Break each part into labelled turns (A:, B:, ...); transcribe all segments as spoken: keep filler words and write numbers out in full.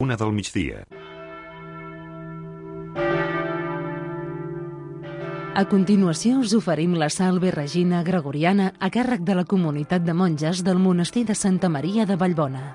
A: una del migdia.
B: A continuació us oferim la Salve Regina Gregoriana a càrrec de la comunitat de monges del monestir de Santa Maria de Vallbona.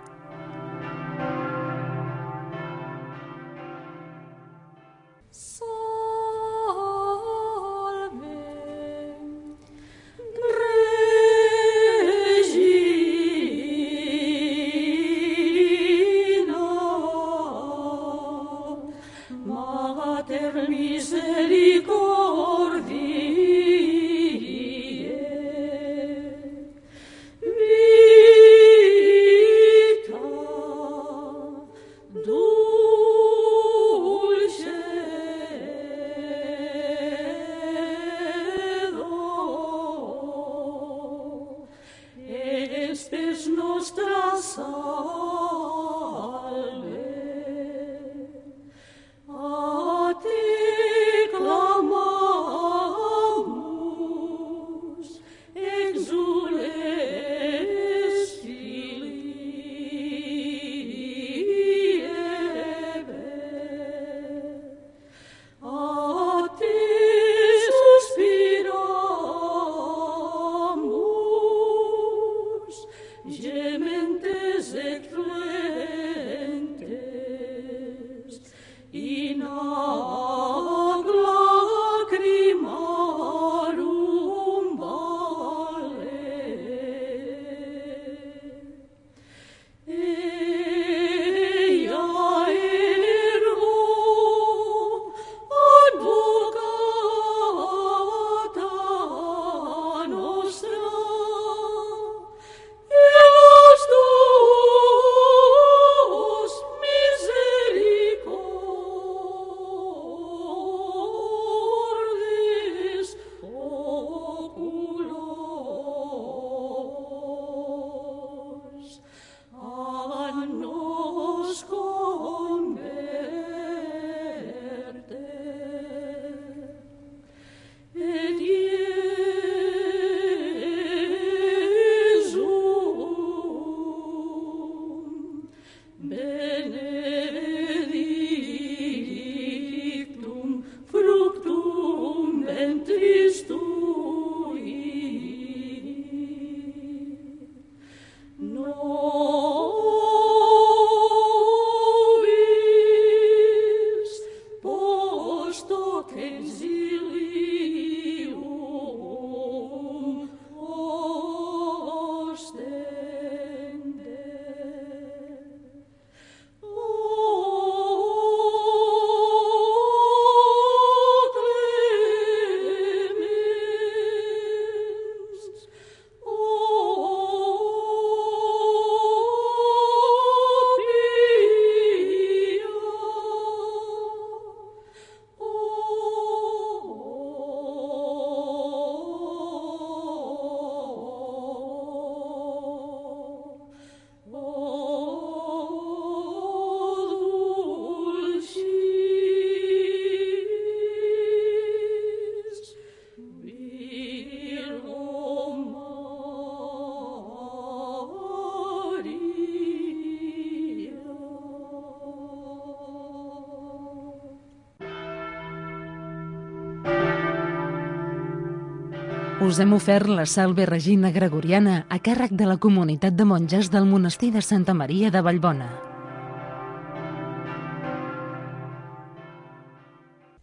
B: Us hem ofert la Salve Regina Gregoriana a càrrec de la comunitat de monges del monestir de Santa Maria de Vallbona.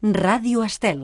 B: Ràdio Estel.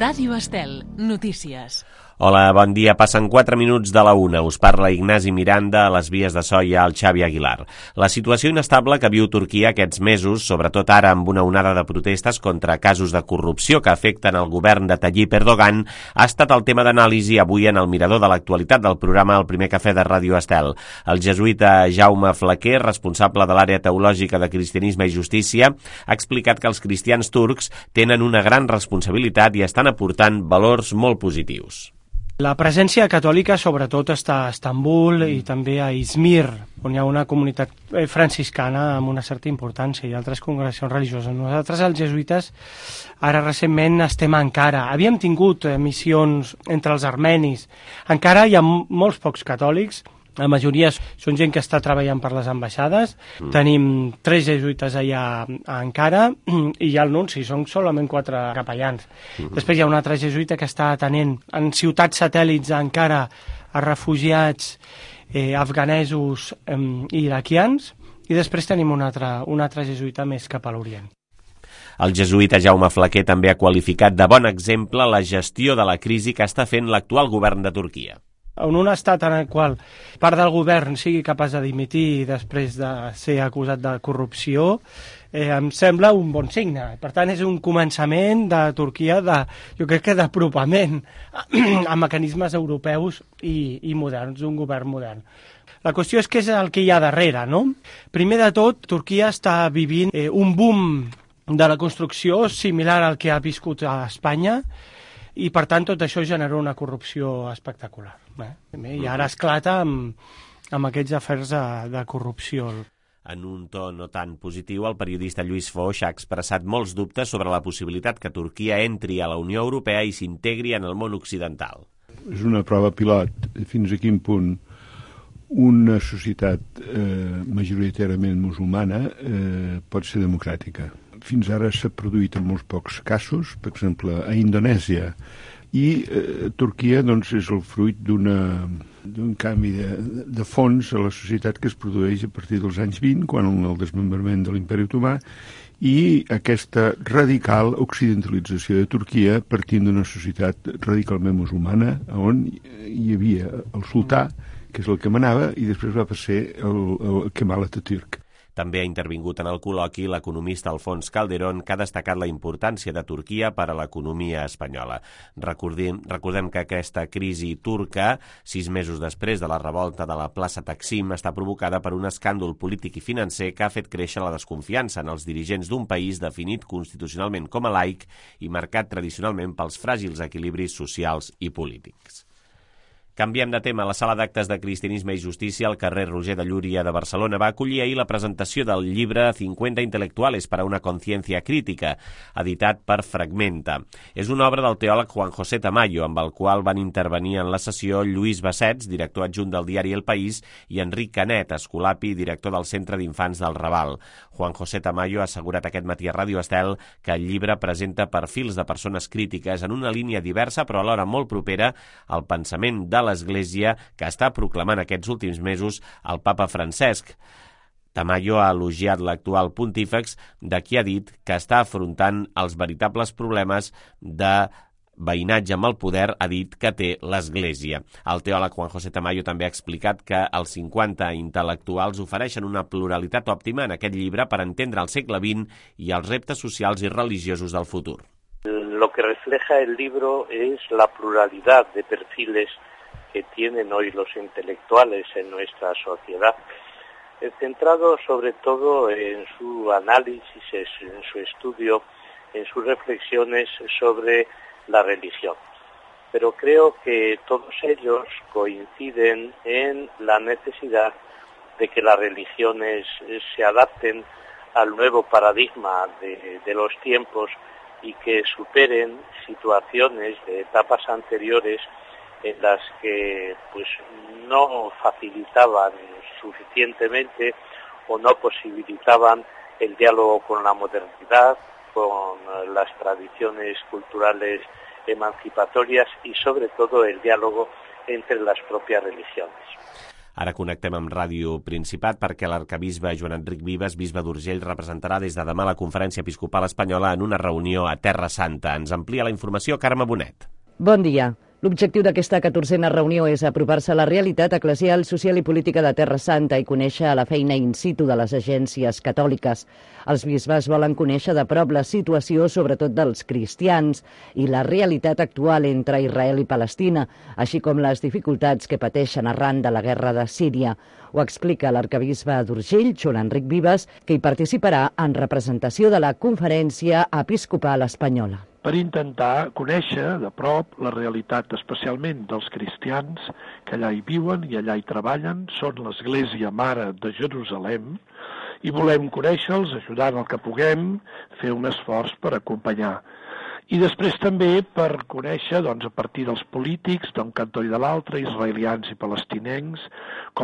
B: Ràdio Estel, notícies.
C: Hola, bon dia. Passen quatre minuts de la una. Us parla Ignasi Miranda, a les vies de so hi ha el Xavi Aguilar. La situació inestable que viu Turquia aquests mesos, sobretot ara amb una onada de protestes contra casos de corrupció que afecten el govern de Tayyip Erdogan, ha estat el tema d'anàlisi avui en el mirador de l'actualitat del programa El Primer Cafè de Ràdio Estel. El jesuïta Jaume Flaquer, responsable de l'àrea teològica de Cristianisme i Justícia, ha explicat que els cristians turcs tenen una gran responsabilitat i estan aportant valors molt positius.
D: La presència catòlica sobretot està a Istanbul i també a Izmir, on hi ha una comunitat franciscana amb una certa importància i altres congregacions religioses. Nosaltres, els jesuïtes, ara recentment estem a Ankara. Havíem tingut missions entre els armenis. Encara hi ha molts pocs catòlics, La majoria són gent que està treballant per les ambaixades. Mm. Tenim tres jesuïtes allà a Ankara i hi ha el nunci, són solament quatre capellans. Mm. Després hi ha un altre jesuïta que està atenent en ciutats satèl·lits a Ankara a refugiats eh, afganesos eh, i iraquians, i després tenim un altre, un altre jesuïta més cap a l'Orient.
C: El jesuïta Jaume Flaquer també ha qualificat de bon exemple la gestió de la crisi que està fent l'actual govern de Turquia.
D: En un estat en el qual part del govern sigui capaç de dimitir després de ser acusat de corrupció, eh, em sembla un bon signe. Per tant, és un començament de Turquia, de, jo crec que d'apropament a mecanismes europeus i, i moderns, d'un govern modern. La qüestió és què és el que hi ha darrere, no? Primer de tot, Turquia està vivint eh, un boom de la construcció similar al que ha viscut a Espanya, i per tant tot això genera una corrupció espectacular. Eh? I ara esclata amb, amb aquests afers de, de corrupció.
C: En un to no tan positiu, el periodista Lluís Foix ha expressat molts dubtes sobre la possibilitat que Turquia entri a la Unió Europea i s'integri en el món occidental.
A: És una prova pilot fins a quin punt una societat eh, majoritàriament musulmana eh, pot ser democràtica. Fins ara s'ha produït en molts pocs casos, per exemple, a Indonèsia, i eh, Turquia doncs, és el fruit d'un canvi de, de fons a la societat que es produeix a partir dels anys vint, quan el desmembrament de l'Imperi Otomà, i aquesta radical occidentalització de Turquia partint d'una societat radicalment musulmana, on hi havia el sultà, que és el que manava, i després va ser el, el Kemal Atatürk.
C: També ha intervingut en el col·loqui l'economista Alfons Calderón, que ha destacat la importància de Turquia per a l'economia espanyola. Recordem, recordem que aquesta crisi turca, sis mesos després de la revolta de la plaça Taksim, està provocada per un escàndol polític i financer que ha fet créixer la desconfiança en els dirigents d'un país definit constitucionalment com a laic i marcat tradicionalment pels fràgils equilibris socials i polítics. Canviem de tema. La Sala d'Actes de Cristianisme i Justícia al carrer Roger de Llúria de Barcelona va acollir ahir la presentació del llibre cincuenta intelectuales para una conciencia crítica, editat per Fragmenta. És una obra del teòleg Juan José Tamayo, amb el qual van intervenir en la sessió Lluís Bassets, director adjunt del diari El País, i Enric Canet, escolapi, director del Centre d'Infants del Raval. Juan José Tamayo ha assegurat aquest matí a Ràdio Estel que el llibre presenta perfils de persones crítiques en una línia diversa però alhora molt propera al pensament de l'Església que està proclamant aquests últims mesos el papa Francesc. Tamayo ha elogiat l'actual pontífex, de qui ha dit que està afrontant els veritables problemes de veïnatge amb el poder, ha dit que té l'Església. El teòleg Juan José Tamayo també ha explicat que els cinquanta intel·lectuals ofereixen una pluralitat òptima en aquest llibre per entendre el segle vint i els reptes socials i religiosos del futur.
E: Lo que refleja el libro es la pluralidad de perfiles que tienen hoy los intelectuales en nuestra sociedad, centrado sobre todo en su análisis, en su estudio, en sus reflexiones sobre la religión. Pero creo que todos ellos coinciden en la necesidad de que las religiones se adapten al nuevo paradigma de, de los tiempos y que superen situaciones de etapas anteriores en las que pues no facilitaban suficientemente o no posibilitaban el diálogo con la modernidad, con las tradiciones culturales emancipatorias y sobre todo el diálogo entre las propias religiones.
C: Ara connectem amb Ràdio Principat perquè l'arcabisbe Joan Enric Vives, bisbe d'Urgell, representarà des de demà la Conferència Episcopal Espanyola en una reunió a Terra Santa. Ens amplia la informació Carme Bonet.
F: Bon dia. L'objectiu d'aquesta catorzena reunió és apropar-se a la realitat eclesial, social i política de Terra Santa i conèixer la feina in situ de les agències catòliques. Els bisbes volen conèixer de prop la situació, sobretot dels cristians, i la realitat actual entre Israel i Palestina, així com les dificultats que pateixen arran de la guerra de Síria. Ho explica l'arcabisbe d'Urgell, Joan Enric Vives, que hi participarà en representació de la Conferència Episcopal Espanyola.
G: Per intentar conèixer de prop la realitat especialment dels cristians que allà hi viuen i allà hi treballen, són l'Església Mare de Jerusalem, i volem conèixer-los, ajudant el que puguem, fer un esforç per acompanyar. I després també per conèixer, doncs, a partir dels polítics d'un cantó i de l'altre, israelians i palestinencs, com